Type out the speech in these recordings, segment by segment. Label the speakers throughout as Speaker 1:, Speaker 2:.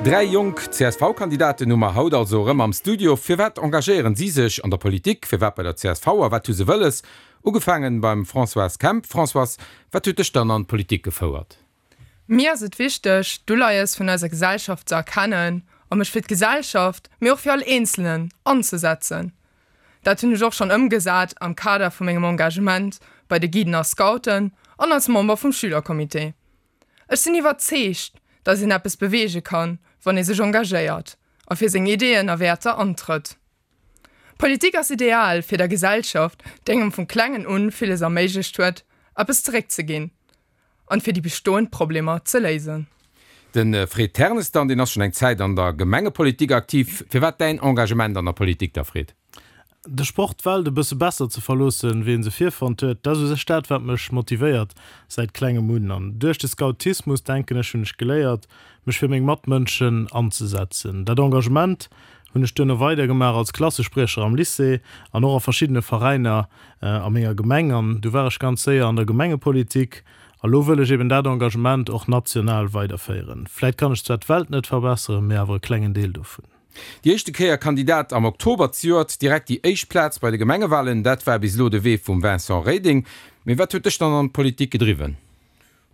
Speaker 1: Dräi jonk CSV-Kandidaten hu mer haut also erëm am Studio. Firwat engagéieren si sech an der Politik? Firwat bei der csv a wat hu se wëlles? Ugefaangen beim Françoise Kemp. Françoise, wat huet dech dann an d'Politik gefouert?
Speaker 2: Mir ass et wichteg, d'Uleies vun eiser Gesellschaft ze erkennen a mech fir d'Gesellschaft, mee och fir all Eenzelnen anzesetzen. Dat hunn ech och schonn ëmgesat am Kader vu mengem Engagement bei de Guiden a Scouten an als Member vum Schülercomité. Ech sinn iwwerzeegt, dass een eppes beweege kann, wann ee sech engagéiert a fir seng Ideeën a Wäerter antrëtt. Politik ass ideal fir der Gesellschaft, déi engem vum Klengen un villes erméiglecht huet, eppes zeréckzeginn an fir déi bestoend Problemer ze léisen.
Speaker 1: De Fred Ternes dann, deen ass schonn eng Zäit an der Gemengepolitik aktiv. Firwat däin Engagement an der Politik da, Fred?
Speaker 3: De Sport d'Welt e bësse besser ze verloossen, wéi en se virfonnt huet, dat ass u sech dat, wat mech motivéiert säit klengem un. An duerch de Scoutismus, denken ech, hunn ech geléiert, mech fir meng Matmënschen anzesetzen. Dat Engagement hunn ech duerno weidergemaach als Klassespriecher am Lycée an och a verschiddene Veräiner a menger Gemeng. An du war ech ganz séier an der Gemengepolitik. A lo wëll ech eben dat Engagement och national weiderféieren. Vläit kann ech zwar d'Welt net verbesseren, mee awer e klengen Deel dovun.
Speaker 1: Déi éischte Kéier Kandidat am Oktober zejoert, direkt déi éischt Plaz bei de Gemengewalen, dat war bis elo de Wee vum Vincent Reding. Mee wat huet dech dann an d'Politik gedriwwen?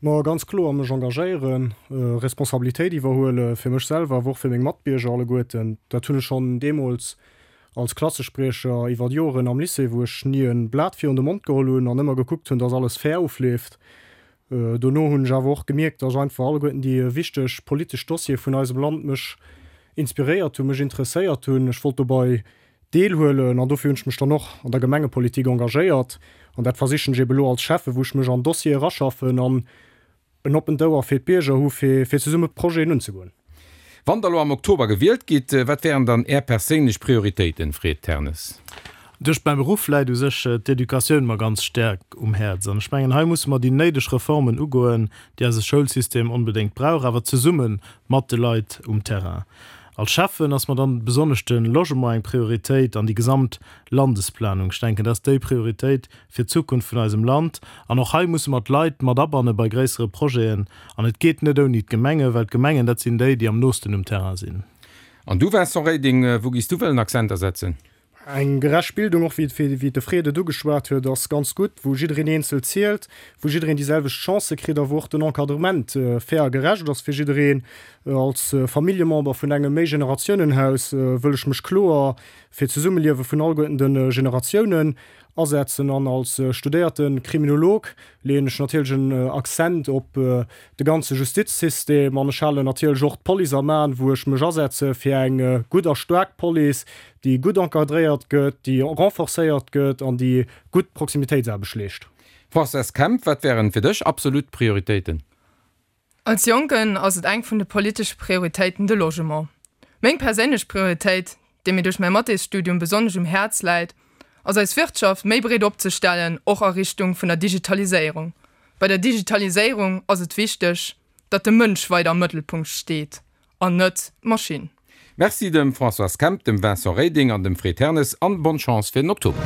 Speaker 4: Ma ganz kloer mech engagéieren, Responsabilitéit iwwerhuele fir mech selwer, awer och fir meng Matbierger alleguerten. Dat hunn ech schonn deemools als Klassespriecher iwwer Joren am Lycée, wou ech ni e Blat virun de Mond geholl hunn an ëmmer gekuckt hunn, dass alles fair ofleeft. Dono hunn ech awer och gemierkt, dass einfach alleguerten déi wichteg politesch Dossiere vun eisem Land mech inspiréiert hunn, mech interesséiert hunn. Ech wollt dobei Deelhuelen an dofir hunn ech mech dann och an der Gemengepolitik engagéiert an dat versichen ech eben elo als Schäffe wou ech mech an Dossiere eraschaffen an en oppent Ouer fir d'Bierger hu fir fir zesumme Projeten unzegoen.
Speaker 1: Wann Der elo am Oktober gewielt gitt, wat wären dann Är perséinlech Prioritéiten, Fred Ternes?
Speaker 3: Duerch mäi Beruff läit u sech d'Educatioun mer ganz staark um Häerz an ech mengen hei musse mer déi néideg Reformen ugoen, déi eise Schoulsystem onbedéngt brauch, awer zesumme mat de Leit um Terrain. Als Schäffen ass mer dann besonnesch de Logement eng Prioritéit an déi gesamt Landesplanung. Ech denken, dat ass déi Prioritéit fir d'Zukunft vun eisem Land. An och hei musse mer d'Leit mat abanne bei gréissere Projeten. An et geet net ouni d'Gemengen, well d'Gemengen, dat sinn déi, déi am noosten um Terrain sinn.
Speaker 1: An du, Vincent Reding, wou giss du wëllen Akzenter setzen?
Speaker 4: Eng gerecht Bildung, och wéi de Fred et ugeschwat huet, ass ganz gutt, wou jiddereen eenzel zielt, wou jiddereen déi selwecht Chancë kritt a wou och den Encadrement fair a gerecht ass fir jiddereen. Als Familljemember vun engem Méigenerationenhaus wëll ech mech kloer fir d'Zesummeliewe vun alleguerten de Generatiounen asetzen an als studéierte Kriminolog leeën ech natierlech en Accent op de ganze Justizsystem an ech halen natierlech och d'Police am Aen, wou ech mech asetze fir eng gutt a staark Police, déi gutt encadréiert gëtt, déi renforcéiert gëtt an déi gutt Proximitéitsaarbecht leescht.
Speaker 1: Françoise Kemp, Wat wären fir dech absolut Prioritéiten?
Speaker 2: Als Jonken ass et eng vun de politesche Prioritéiten de Logement. Meng perséinlech Prioritéit, déi mir duerch mäi Mathésstudium besonnesch um Häerz läit, ass eis Wirtschaft méi breet opzestellen, och a Richtung vun der Digitaliséierung. Bei der Digitaliséierung ass et wichteg, datt de Mënsch weider am Mëttelpunkt steet an net d'Maschinn.
Speaker 1: Merci dem Françoise Kemp, dem Vincent Reding an dem Fred Ternes an bonne Chance fir den Oktober.